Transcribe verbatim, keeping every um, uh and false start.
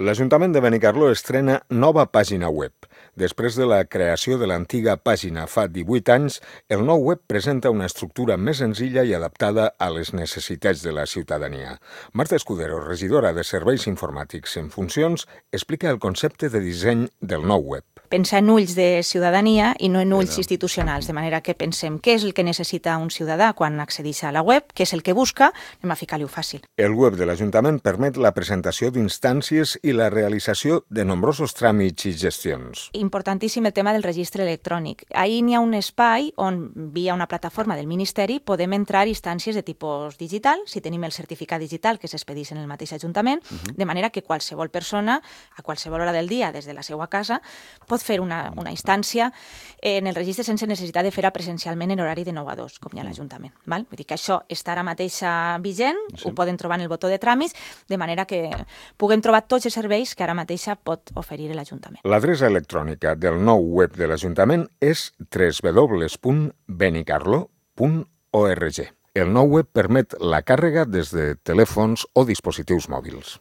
L'Ajuntament de Benicarló estrena nova pàgina web. Després de la creació de l'antiga pàgina fa divuit anys, el nou web presenta una estructura més senzilla i adaptada a les necessitats de la ciutadania. Marta Escudero, regidora de Serveis Informàtics en funcions, explica el concepte de disseny del nou web. Pensa en ulls de ciutadania i no en ulls institucionals, de manera que pensem què és el que necessita un ciutadà quan accedeix a la web, què és el que busca, anem a ficar-li-ho fàcil. El web de l'Ajuntament permet la presentació d'instàncies i la realització de nombrosos tràmits i gestions. Importantíssim el tema del registre electrònic. Ahir n'hi ha un espai on, via una plataforma del Ministeri, podem entrar instàncies de tipus digital, si tenim el certificat digital que s'expedeix en el mateix Ajuntament, uh-huh. de manera que qualsevol persona, a qualsevol hora del dia, des de la seva casa, pot fer una, una instància en el registre sense necessitat de fer-la presencialment en horari de nou a dos, com hi ha a l'Ajuntament. Val? Vull dir que això està ara mateix vigent, sí. Ho poden trobar en el botó de tràmits, de manera que puguem trobar tots els serveis que ara mateix pot oferir l'Ajuntament. L'adreça electrònica del nou web de l'Ajuntament és w w w punt benicarló punt org. El nou web permet la càrrega des de telèfons o dispositius mòbils.